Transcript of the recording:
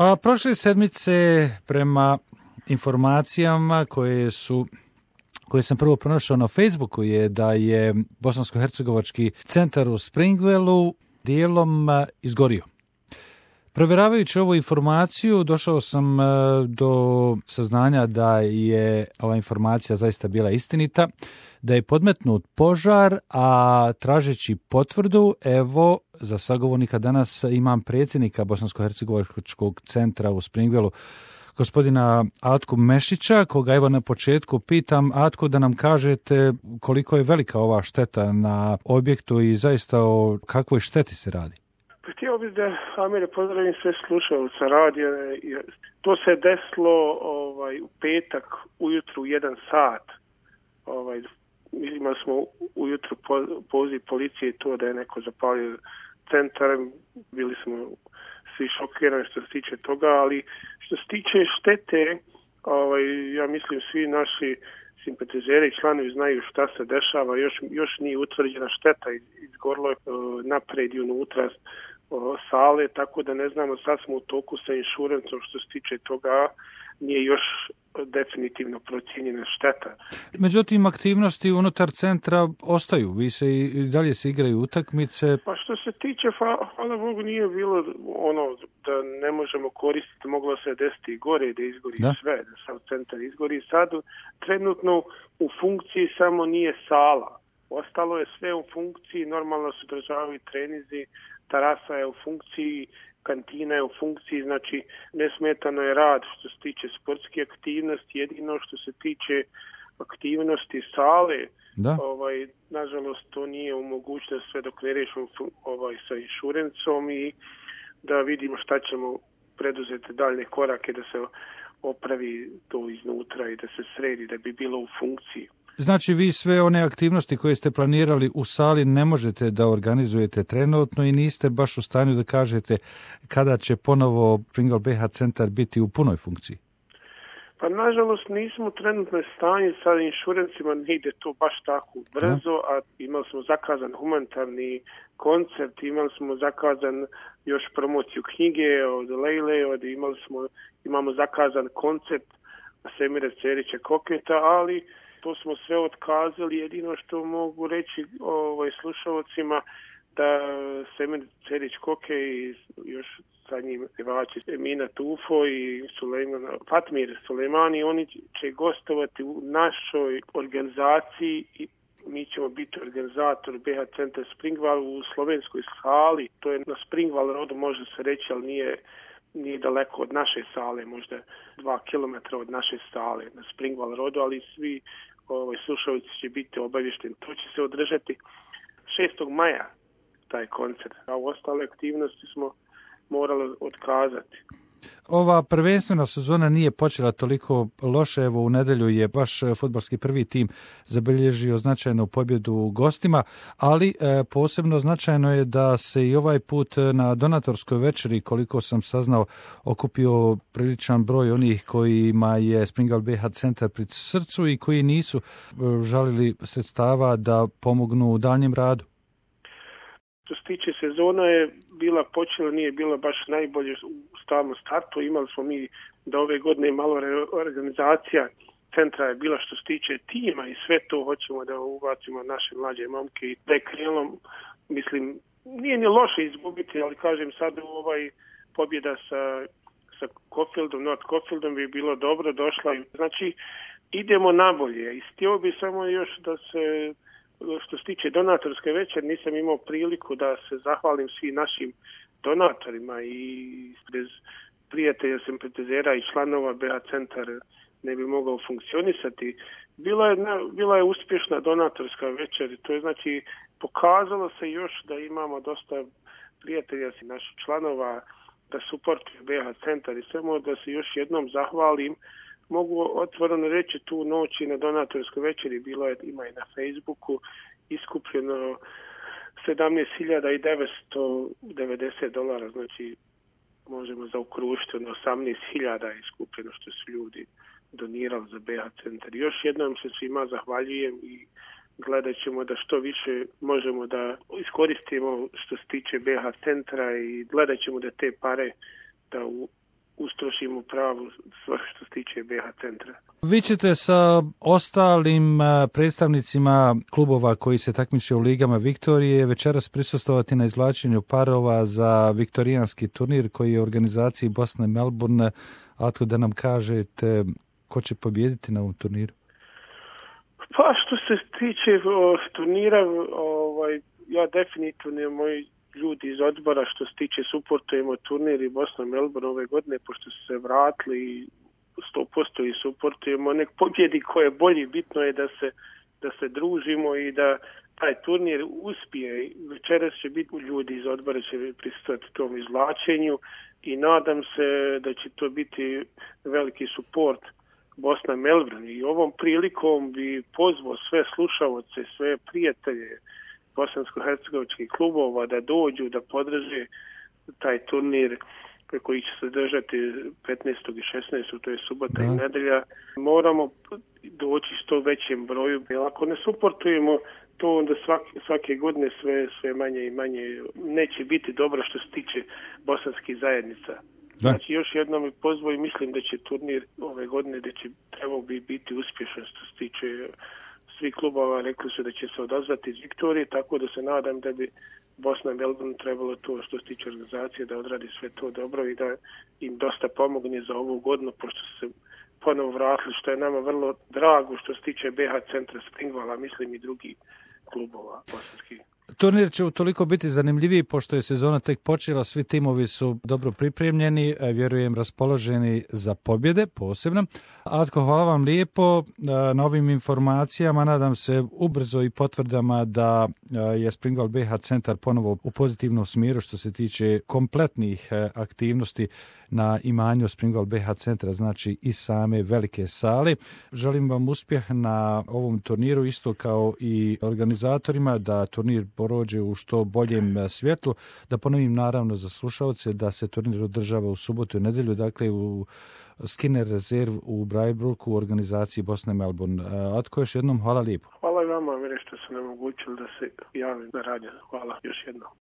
A prošle sedmice, prema informacijama koje sam prvo pronašao na Facebooku, je da je bosansko-hercegovački centar u Springwellu dijelom izgorio. Provjeravajući ovu informaciju, došao sam do saznanja da je ova informacija zaista bila istinita, da je podmetnut požar, a tražeći potvrdu, evo, za sagovornika danas imam predsjednika bosansko-hercegovačkog centra u Springwellu, gospodina Atku Mešića, koga evo na početku pitam, Atku, da nam kažete koliko je velika ova šteta na objektu i zaista o kakvoj šteti se radi. Htio bih da, Amire, pozdravim sve slušalca radija. To se desilo u petak ujutru u 1 sat. Imali smo ujutru poziv policije to da je neko zapalio centar. Bili smo svi šokirani što se tiče toga, ali što se tiče štete, ja mislim svi naši simpatizeri i članovi znaju šta se dešava. Još nije utvrđena šteta, izgorilo je napred i unutra sale, tako da ne znamo, sad smo u toku sa inšurencom što se tiče toga, nije još definitivno procijenjena šteta. Međutim, aktivnosti unutar centra ostaju, vi se i dalje se igraju utakmice. Pa što se tiče, hvala Bogu, nije bilo da ne možemo koristiti, moglo se desiti i gore, da izgori sve, da sam centar izgori. Sad trenutno u funkciji samo nije sala, ostalo je sve u funkciji, normalno se održavaju trenizi, terasa je u funkciji, kantina je u funkciji, znači nesmetano je rad što se tiče sportske aktivnosti, jedino što se tiče aktivnosti sale, nažalost to nije u mogućnosti sve dok ne riješimo sa inšurencom i da vidimo šta ćemo preduzeti daljne korake da se opravi to iznutra i da se sredi, da bi bilo u funkciji. Znači vi sve one aktivnosti koje ste planirali u sali ne možete da organizujete trenutno i niste baš u stanju da kažete kada će ponovo Springwell BH centar biti u punoj funkciji? Pa nažalost nismo trenutno stanju sa inšurencima, ne ide to baš tako brzo, a imali smo zakazan humanitarni koncert, imali smo zakazan još promociju knjige od Lejle, imamo zakazan koncert Semira Cerića Koketa, ali to smo sve otkazali. Jedino što mogu reći slušalcima da Semir Cerić Koke i još sa njim pjevači Emina Tufo i Fatmir Sulejmani, oni će gostovati u našoj organizaciji i mi ćemo biti organizator BH centra Springwell u slovenskoj sali. To je na Springwell rodu, može se reći, ali nije daleko od naše sale, možda 2 kilometra od naše sale na Springwell rodu, ali svi slušalci će biti obavješteni. To će se održati 6. maja, taj koncert, a u ostale aktivnosti smo morali otkazati. Ova prvenstvena sezona nije počela toliko loše. Evo, u nedjelju je baš fudbalski prvi tim zabilježio značajnu pobjedu u gostima, ali posebno značajno je da se i ovaj put na donatorskoj večeri, koliko sam saznao, okupio priličan broj onih kojima je Springwell BH centar pri srcu i koji nisu žalili sredstava da pomognu u daljem radu. Što se tiče sezona je bila počela, nije bila baš najbolje u stalnom startu. Imali smo mi da ove godine malo reorganizacija centra je bila što se tiče tima i sve to hoćemo da ubacimo naše mlađe momke i da je krenulo, mislim, nije ni loše izgubiti, ali kažem sad pobjeda sa Caulfieldom, North Caulfieldom bi bilo dobro došla. Znači, idemo nabolje i htio bi samo još da se, što se tiče donatorske večer, nisam imao priliku da se zahvalim svim našim donatorima i bez prijatelja, simpatizera i članova BH centar ne bi mogao funkcionisati. Bila je uspješna donatorska večer, to je znači pokazalo se još da imamo dosta prijatelja i naših članova da suportuju BH centar i samo da se još jednom zahvalim. Mogu otvoreno reći, tu noći na donatorskoj večeri ima i na Facebooku iskupljeno $17.990, znači možemo zaokružiti 18.000 iskupljeno što su ljudi donirali za BH centar. Još jednom se svima zahvaljujem i gledat ćemo da što više možemo da iskoristimo što se tiče BH centra i gledat ćemo da te pare da ustrošimo pravu stvar što se tiče BH centra. Vi ćete sa ostalim predstavnicima klubova koji se takmiče u ligama Viktorije večeras prisustvovati na izvlačenju parova za viktorijanski turnir koji je u organizaciji Bosne Melbourne. Atko, da nam kažete ko će pobijediti na ovom turniru? Pa što se tiče turnira, ja definitivno moji ljudi iz odbora što se tiče suportujemo turnir i Bosna Melbourne ove godine, pošto su se vratili 100% i suportujemo. Nek pobjedi ko je bolji, bitno je da se družimo i da taj turnir uspije. Večeras će biti ljudi iz odbora će prisustvovati tom izvlačenju i nadam se da će to biti veliki suport Bosna Melbourne. I ovom prilikom bi pozvao sve slušaoce, sve prijatelje bosansko-hercegovačkih klubova da dođu, da podrže taj turnir koji će se držati 15. i 16. to je subota i nedelja. Moramo doći što većem broju, jer ako ne suportujemo to, onda svake godine sve manje i manje neće biti dobro što se tiče bosanskih zajednica. Da. Znači još jednom mi pozvao i mislim da će turnir ove godine da će trebao biti uspješan što se tiče svih klubova, rekli su da će se odazvati iz Viktorije, tako da se nadam da bi Bosna i Melbourne trebalo to što se tiče organizacije da odradi sve to dobro i da im dosta pomogne za ovu godinu, pošto se ponovo vratili, što je nama vrlo drago što se tiče BH centra Springvala, mislim i drugi klubova bosanskih. Turnir će utoliko biti zanimljiviji pošto je sezona tek počela, svi timovi su dobro pripremljeni, vjerujem raspoloženi za pobjede posebno. Atko, hvala vam lijepo na ovim informacijama, nadam se ubrzo i potvrdama da je Springval BH centar ponovo u pozitivnom smjeru što se tiče kompletnih aktivnosti na imanju Springval BH centra, znači i same velike sale. Želim vam uspjeh na ovom turniru, isto kao i organizatorima, da turnir prođe u što boljem svjetlu. Da ponovim naravno za slušalce da se turnir održava u subotu i nedjelju, dakle u Skinner Reserve u Braibruku u organizaciji Bosne Melbourne. Atko, još jednom hvala lijepo. Hvala i vama, što ste nam omogućili da se javim na radio. Hvala još jednom.